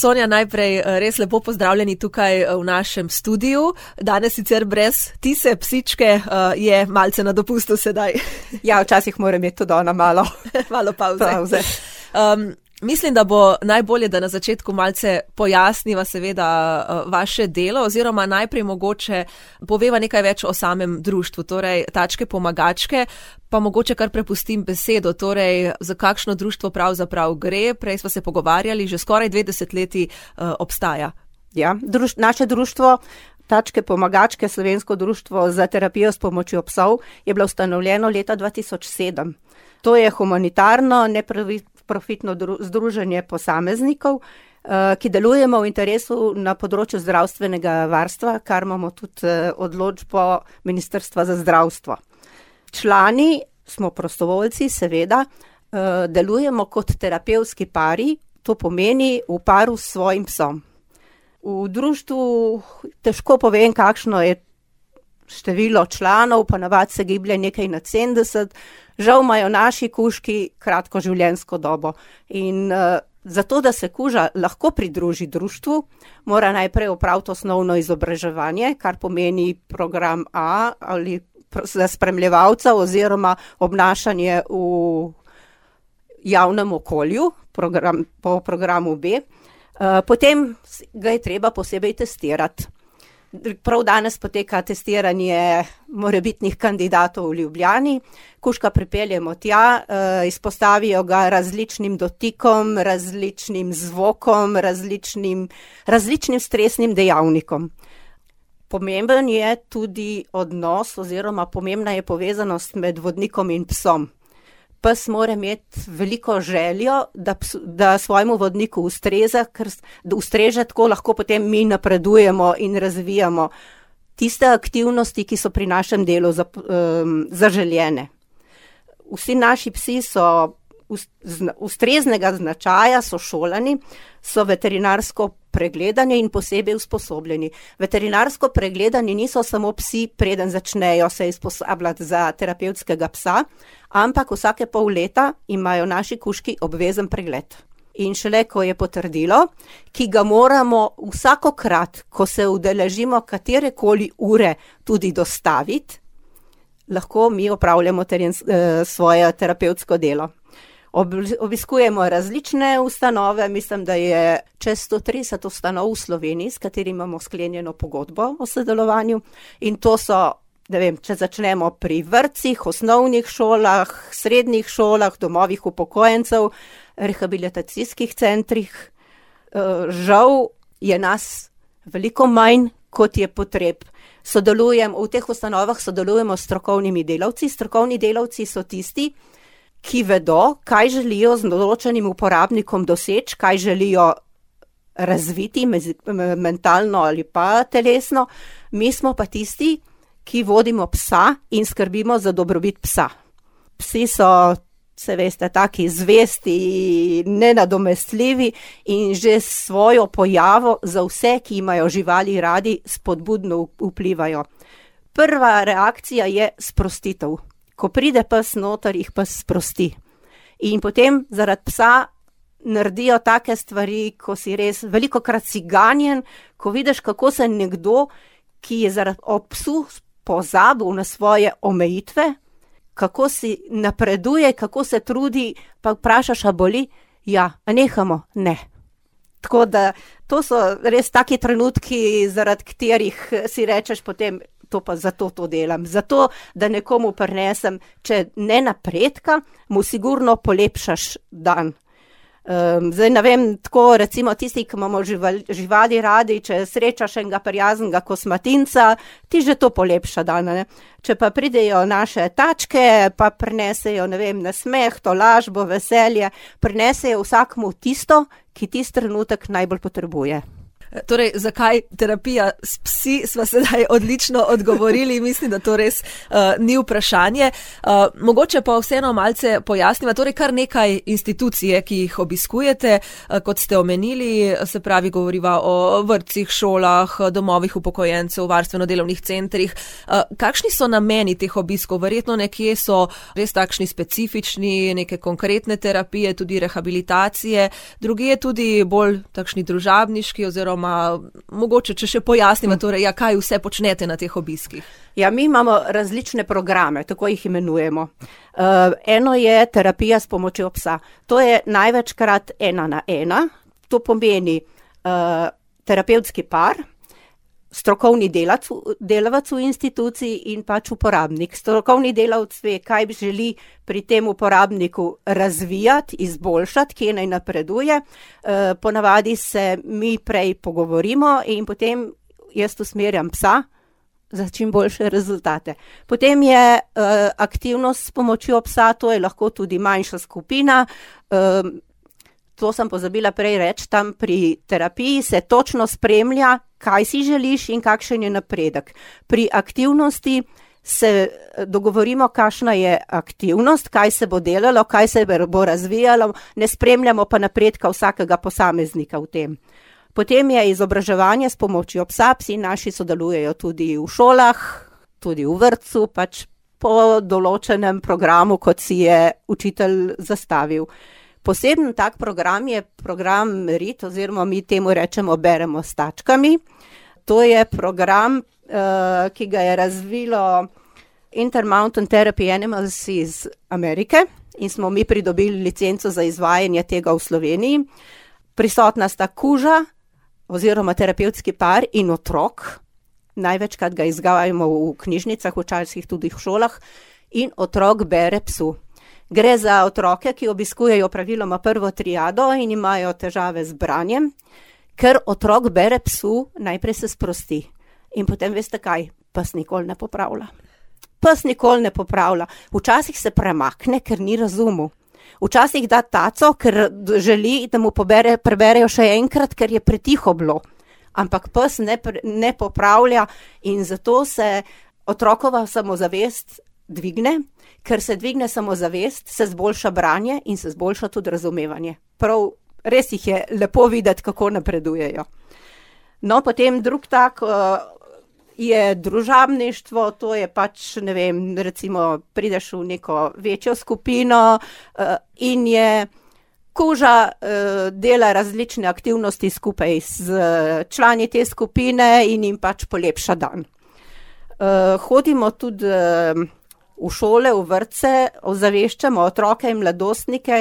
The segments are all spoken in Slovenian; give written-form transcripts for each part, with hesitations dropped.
Sonja, najprej res lepo pozdravljeni tukaj v našem studiu. Danes sicer brez Tise, psičke, je malce na dopustu sedaj. Ja, včasih mora imeti tudi ona malo pauze. Mislim, da bo najbolje, da na začetku malce pojasniva seveda vaše delo oziroma najprej mogoče poveva nekaj več o samem društvu, torej Tačke pomagačke, pa mogoče kar prepustim besedo, torej za kakšno društvo pravzaprav gre. Prej smo se pogovarjali, že skoraj 20 leti obstaja. Ja, naše društvo Tačke pomagačke, Slovensko društvo za terapijo s pomočjo psov, je bilo ustanovljeno leta 2007. To je humanitarno, neprofitno združenje posameznikov, ki delujemo v interesu na področju zdravstvenega varstva, kar imamo tudi odločbo Ministrstva za zdravstvo. Člani smo prostovoljci, seveda, delujemo kot terapevtski pari, to pomeni v paru s svojim psom. V društvu težko povem, kakšno je število članov, pa navadi se giblje nekaj nad 70, žal imajo naši kužki kratko življenjsko dobo. In zato, da se kuža lahko pridruži društvu, mora najprej opraviti osnovno izobraževanje, kar pomeni program A ali za spremljevalca oziroma obnašanje v javnem okolju, po programu B. Potem ga je treba posebej testirati. Prav danes poteka testiranje morebitnih kandidatov v Ljubljani. Kužka pripeljemo tja, izpostavijo ga različnim dotikom, različnim zvokom, različnim stresnim dejavnikom. Pomemben je tudi odnos oziroma pomembna je povezanost med vodnikom in psom. Pes mora imeti veliko željo, da svojemu vodniku ustreza, ker da ustreže, tako lahko potem mi napredujemo in razvijamo tiste aktivnosti, ki so pri našem delu zaželjene. Vsi naši psi so ustreznega značaja, so šolani, so veterinarsko pregledani in posebej usposobljeni. Veterinarsko pregledani niso samo psi, preden začnejo se usposabljati za terapevtskega psa, ampak vsake pol leta imajo naši kužki obvezen pregled. In šele, ko je potrdilo, ki ga moramo vsakokrat, ko se udeležimo katerekoli ure, tudi dostaviti, lahko mi opravljamo svoje terapevtsko delo. Obiskujemo različne ustanove, mislim, da je čez 130 ustanov v Sloveniji, s katerimi imamo sklenjeno pogodbo o sodelovanju. In to so, če začnemo pri vrtcih, osnovnih šolah, srednjih šolah, domovih upokojencev, rehabilitacijskih centrih. Žal je nas veliko manj, kot je potreb. V teh ustanovah sodelujemo s strokovnimi delavci. Strokovni delavci so tisti, ki vedo, kaj želijo z določenim uporabnikom doseči, kaj želijo razviti mentalno ali pa telesno. Mi smo pa tisti, ki vodimo psa in skrbimo za dobrobit psa. Psi so, se veste, taki zvesti, nenadomestljivi in že s svojo pojavo za vse, ki imajo živali radi, spodbudno vplivajo. Prva reakcija je sprostitev. Ko pride pes noter, jih pes sprosti. In potem zaradi psa naredijo take stvari, ko si res velikokrat si ganjen, ko vidiš, kako se nekdo, ki je zaradi psu pozabil na svoje omejitve, kako si napreduje, kako se trudi, pa vprašaš, a boli? Ja, a nehamo? Ne. Tako da to so res taki trenutki, zaradi katerih si rečeš potem, to pa zato to delam. Zato, da nekomu prinesem, če ne napredka, mu sigurno polepšaš dan. Zdaj ne vem, tako recimo tisti, ki imamo živali radi, če srečaš enega prijaznega kosmatinca, ti že to polepša dan, ne? Če pa pridejo naše tačke, pa prinesejo, ne vem, nasmeh, tolažbo, veselje, prinesejo vsakmu tisto, ki tisti trenutek najbolj potrebuje. Torej, zakaj terapija s psi, sva sedaj odlično odgovorili, mislim, da to res ni vprašanje. Mogoče pa vseeno malce pojasniva, torej kar nekaj institucije, ki jih obiskujete, kot ste omenili, se pravi, govoriva o vrtcih, šolah, domovih upokojencev, varstveno-delovnih centrih. Kakšni so nameni teh obiskov? Verjetno nekje so res takšni specifični, neke konkretne terapije, tudi rehabilitacije, drugje tudi bolj takšni družabniški oziroma mogoče, če še pojasnimo, torej, kaj vse počnete na teh obiskih. Ja, mi imamo različne programe, tako jih imenujemo. Eno je terapija s pomočjo psa. To je največkrat 1-na-1. To pomeni terapevtski par, strokovni delavec v instituciji in pač uporabnik. Strokovni delavec ve, kaj želi pri tem uporabniku razvijati, izboljšati, kje naj napreduje. Ponavadi se mi prej pogovorimo in potem jaz usmerjam psa za čim boljše rezultate. Potem je aktivnost s pomočjo psa, to je lahko tudi manjša skupina. To sem pozabila prej reči, tam pri terapiji se točno spremlja, kaj si želiš in kakšen je napredek. Pri aktivnosti se dogovorimo, kakšna je aktivnost, kaj se bo delalo, kaj se bo razvijalo, ne spremljamo pa napredka vsakega posameznika v tem. Potem je izobraževanje s pomočjo psa, psi naši sodelujejo tudi v šolah, tudi v vrtcu, pač po določenem programu, kot si je učitelj zastavil. Poseben tak program je program RIT, oziroma mi temu rečemo beremo s tačkami. To je program, ki ga je razvilo Intermountain Therapy Animals iz Amerike in smo mi pridobili licenco za izvajanje tega v Sloveniji. Prisotna sta kuža oziroma terapevtski par in otrok. Največkrat ga izvajamo v knjižnicah, včasih tudi v šolah, in otrok bere psu. Gre za otroke, ki obiskujejo praviloma prvo triado in imajo težave z branjem, ker otrok bere psu, najprej se sprosti. In potem veste kaj, pes nikoli ne popravlja. Pes nikoli ne popravlja. Včasih se premakne, ker ni razumel. Včasih da taco, ker želi, da mu preberejo še enkrat, ker je pretiho bilo. Ampak pes ne popravlja in zato se otrokova samozavest dvigne. Ker se dvigne samozavest, se zboljša branje in se zboljša tudi razumevanje. Prav, res jih je lepo videti, kako napredujejo. No, potem drug tak je družabništvo, to je pač, ne vem, recimo prideš v neko večjo skupino in je kuža dela različne aktivnosti skupaj z člani te skupine in jim pač polepša dan. Hodimo tudi v šole, v vrtce, ozaveščamo otroke in mladostnike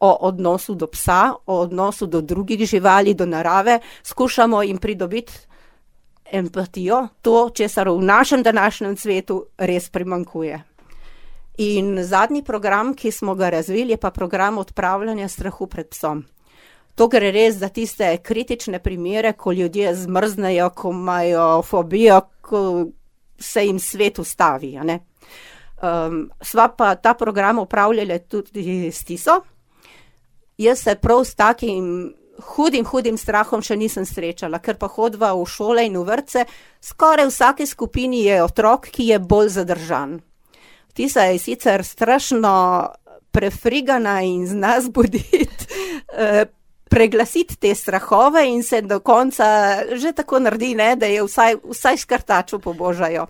o odnosu do psa, o odnosu do drugih živali, do narave. Skušamo jim pridobiti empatijo, to, česar v našem današnjem svetu res primanjkuje. In zadnji program, ki smo ga razvili, je pa program odpravljanja strahu pred psom. To gre res za tiste kritične primere, ko ljudje zmrznejo, ko imajo fobijo, ko se jim svet ustavi, a ne? Sva pa ta program upravljali tudi s Tiso. Jaz se prav s takim hudim strahom še nisem srečala, ker pa hodva v šole in v vrtce, skoraj v vsaki skupini je otrok, ki je bolj zadržan. Tisa je sicer strašno prefrigana in zna zbuditi, preglasiti te strahove in se do konca že tako naredi, ne, da je vsaj škrtaču pobožajo.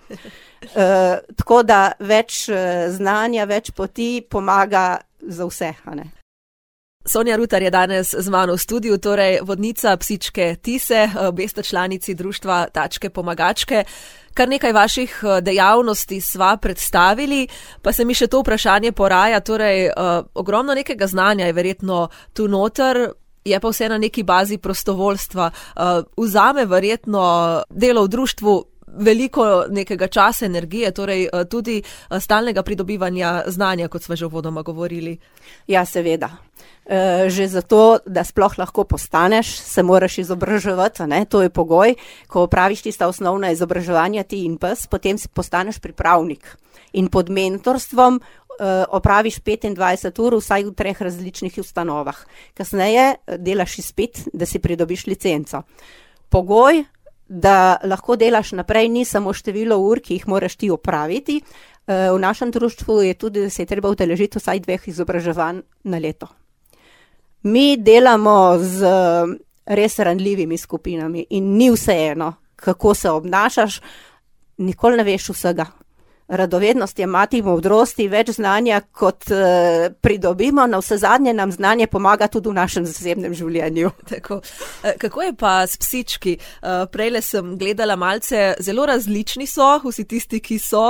Tako da več znanja, več poti pomaga za vse, a ne. Sonja Rutar je danes z mano v studiu, torej vodnica psičke Tise, obe sta članici društva Tačke pomagačke. Kar nekaj vaših dejavnosti sva predstavili, pa se mi še to vprašanje poraja, torej ogromno nekega znanja je verjetno tu noter, je pa vse na neki bazi prostovoljstva. Vzame verjetno delo v društvu veliko nekega časa, energije, torej tudi stalnega pridobivanja znanja, kot smo že uvodoma govorili. Ja, seveda. Že zato, da sploh lahko postaneš, se moraš izobraževati, ne? To je pogoj. Ko opraviš tista osnovna izobraževanja ti in pes, potem si postaneš pripravnik. In pod mentorstvom opraviš 25 ur vsaj v 3 različnih ustanovah. Kasneje delaš izpit, da si pridobiš licenco. pogoj, da lahko delaš naprej, ni samo število ur, ki jih moraš ti opraviti. V našem društvu je tudi, da se je treba udeležiti vsaj 2 izobraževanj na leto. Mi delamo z res ranljivimi skupinami in ni vseeno, kako se obnašaš, nikoli ne veš vsega. Radovednost je mati modrosti, več znanja, kot pridobimo, na vse zadnje nam znanje pomaga tudi v našem zasebnem življenju. Tako. Kako je pa s psički? Prejle sem gledala malce, zelo različni so, vsi tisti, ki so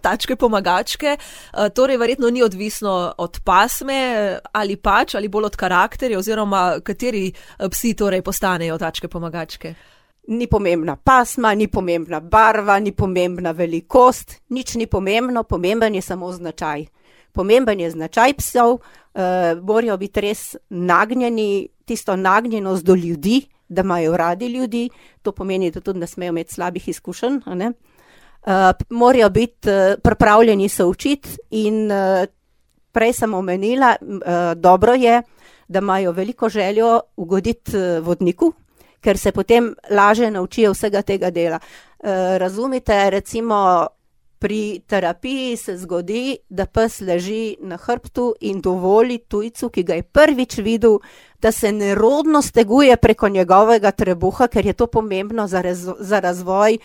tačke pomagačke, torej verjetno ni odvisno od pasme ali bolj od karakterja, oziroma kateri psi torej postanejo tačke pomagačke? Ni pomembna pasma, ni pomembna barva, ni pomembna velikost, nič ni pomembno, pomemben je samo značaj. Pomemben je značaj psov, morajo biti res nagnjeni, tisto nagnjenost do ljudi, da imajo radi ljudi, to pomeni, da tudi ne smejo imeti slabih izkušenj, ne? Morajo biti pripravljeni se učiti in prej sem omenila, dobro je, da imajo veliko željo ugoditi vodniku, ker se potem lažje naučijo vsega tega dela. Razumite, recimo pri terapiji se zgodi, da pes leži na hrbtu in dovoli tujcu, ki ga je prvič videl, da se nerodno steguje preko njegovega trebuha, ker je to pomembno za razvoj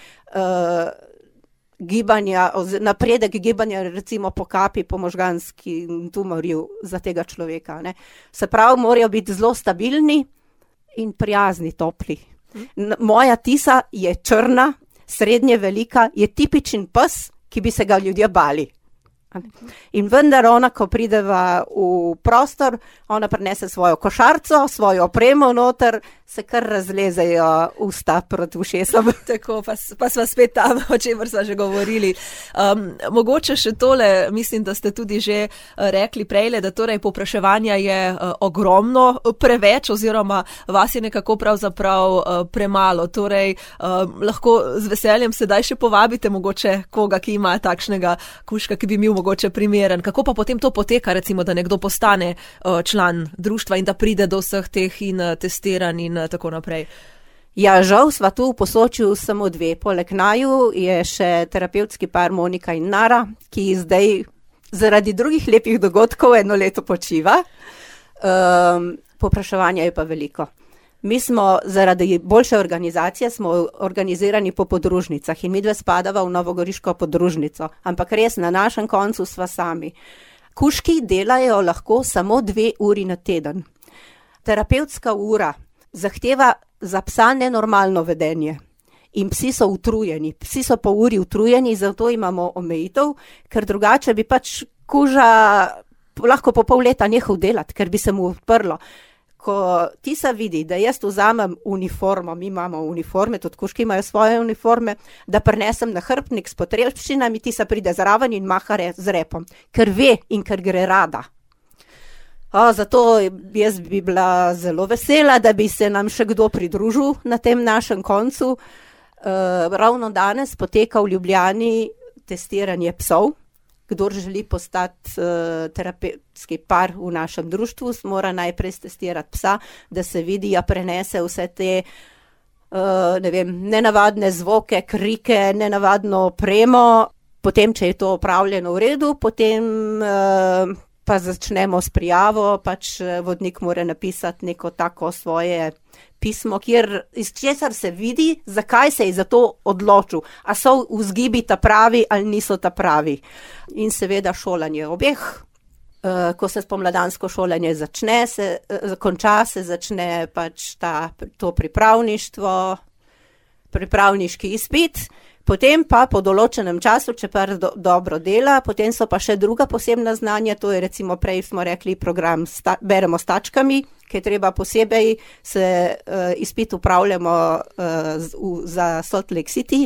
gibanja, napredek gibanja, recimo po kapi, po možganski tumorju za tega človeka, ne. Se pravi, morajo biti zelo stabilni in prijazni, topli. Moja Tisa je črna, srednje velika, je tipičen pes, ki bi se ga ljudje bali. In vendar ona, ko prideva v prostor, ona prinese svojo košarico, svojo opremo noter, se kar razlezejo usta proti ušesom. Tako, pa sva spet tam, o čemer sva že govorili. Mogoče še tole, mislim, da ste tudi že rekli prejle, da torej povpraševanja je ogromno, preveč, oziroma vas je nekako pravzaprav premalo. Torej, lahko z veseljem sedaj še povabite mogoče koga, ki ima takšnega kužka, ki bi bil mogoče primeren. Kako pa potem to poteka, recimo, da nekdo postane član društva in da pride do vseh teh in testiranj in tako naprej? Ja, žal sva tu v Posočju samo 2. Poleg naju je še terapevtski par Monika in Nara, ki zdaj zaradi drugih lepih dogodkov 1 leto počiva. Povpraševanja je pa veliko. Mi smo zaradi boljše organizacije smo organizirani po podružnicah in midve spadava v novogoriško podružnico, ampak res na našem koncu sva sami. Kužki delajo lahko samo 2 uri na teden. Terapevtska ura zahteva za psa nenormalno vedenje in psi so utrujeni. Psi so po uri utrujeni, zato imamo omejitev, ker drugače bi pač kuža lahko po pol leta nehal delati, ker bi se mu odprlo. Ko Tisa vidi, da jaz vzamem uniformo, mi imamo uniforme, tudi kužki imajo svoje uniforme, da prinesem na hrbtnik s potrebščinami, Tisa pride zraven in maha z repom, ker ve in ker gre rada. Zato jaz bi bila zelo vesela, da bi se nam še kdo pridružil na tem našem koncu. Ravno danes poteka v Ljubljani testiranje psov. Kdor želi postati terapevtski par v našem društvu, mora najprej testirati psa, da se vidi, prenese vse te nenavadne zvoke, krike, nenavadno opremo. Potem, če je to opravljeno v redu, potem pa začnemo s prijavo, pač vodnik mora napisati neko tako svoje pismo, iz česar se vidi, zakaj se je za to odločil. A so vzgibi ta pravi ali niso ta pravi. In seveda šolanje obeh. Ko se spomladansko šolanje konča, se začne pač to pripravništvo, pripravniški izpit. Potem pa po določenem času, če pa dobro dela, potem so pa še druga posebna znanja, to je recimo prej smo rekli program Beremo s tačkami, ki je treba posebej izpit upravljamo za Salt Lake City,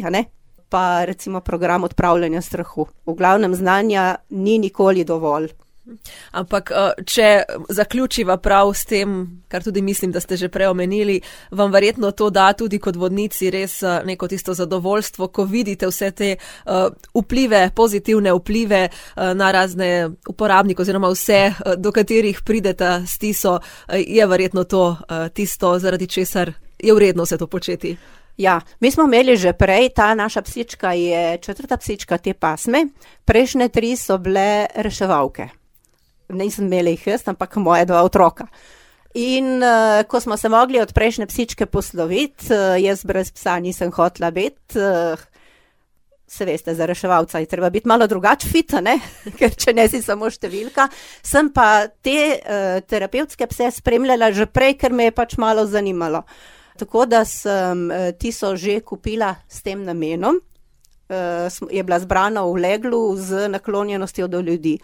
pa recimo program odpravljanja strahu. V glavnem znanja ni nikoli dovolj. Ampak, če zaključiva prav s tem, kar tudi mislim, da ste že prej omenili, vam verjetno to da tudi kot vodnici res neko tisto zadovoljstvo, ko vidite vse te vplive, pozitivne vplive na razne uporabnike oziroma vse, do katerih pridete s Tiso, je verjetno to tisto, zaradi česar je vredno se to početi. Ja, mi smo imeli že prej, ta naša psička je 4. psička te pasme, prejšnje 3 so bile reševalke. Nisem imela jih jaz, ampak moje 2 otroka. In ko smo se mogli od prejšnje psičke posloviti, jaz brez psa nisem hotela biti, se veste, za reševalca je treba biti malo drugače fit, ne? Ker če ne si samo številka. Sem pa te terapevtske pse spremljala že prej, ker me je pač malo zanimalo. Tako da sem tiso že kupila s tem namenom, je bila zbrana v leglu z naklonjenostjo do ljudi.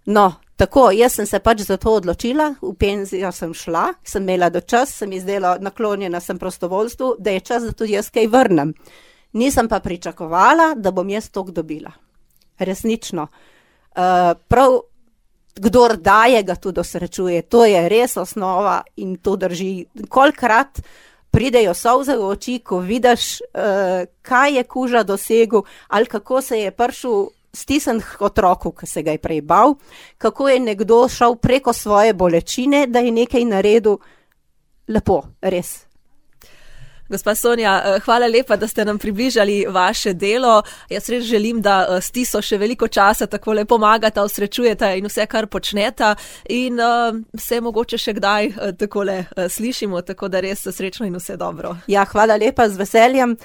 No, tako, jaz sem se pač za to odločila, v penzijo sem šla, sem imela do čas, sem izdela naklonjena sem prostovoljstvu, da je čas, da tudi jaz kaj vrnem. Nisem pa pričakovala, da bom jaz toliko dobila. Resnično. Prav, kdor daje, ga tudi osrečuje. To je res osnova in to drži. Kolikrat pridejo solze v oči, ko vidiš, kaj je kuža dosegel ali kako se je prišel stisnjen k otroku, ki se ga je prej bal, kako je nekdo šel preko svoje bolečine, da je nekaj naredil. Lepo, res. Gospa Sonja, hvala lepa, da ste nam približali vaše delo. Jaz res želim, da s Tiso še veliko časa takole pomagata, osrečujeta in vse, kar počneta in se mogoče še kdaj takole slišimo, tako da res srečno in vse dobro. Ja, hvala lepa, z veseljem.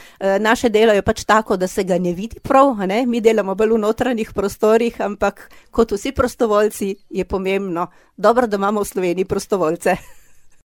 Naše delo je pač tako, da se ga ne vidi prav, ne? Mi delamo bolj v notranjih prostorih, ampak kot vsi prostovoljci je pomembno, dobro, da imamo v Sloveniji prostovoljce.